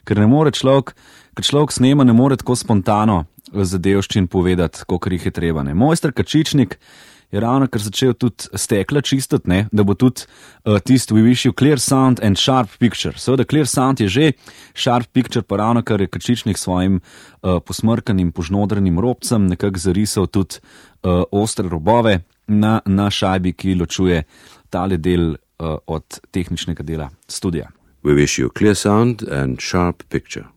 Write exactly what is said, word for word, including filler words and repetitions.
ker ne more človek, ker človek snema, ne more tako spontano zadevščin povedati, kolikor jih je treba. Ne. Mojster Kačičnik je ravno kar začel tudi stekla čistiti, ne, da bo tudi uh, tisti We wish you clear sound and sharp picture. Seveda clear sound je že, sharp picture pa ravno kar je Kačičnik svojim uh, posmrkanim, požnodrenim robcem nekako zarisal tudi uh, ostre robove na, na šajbi, ki ločuje tale del uh, od tehničnega dela studija. We wish you clear sound and sharp picture.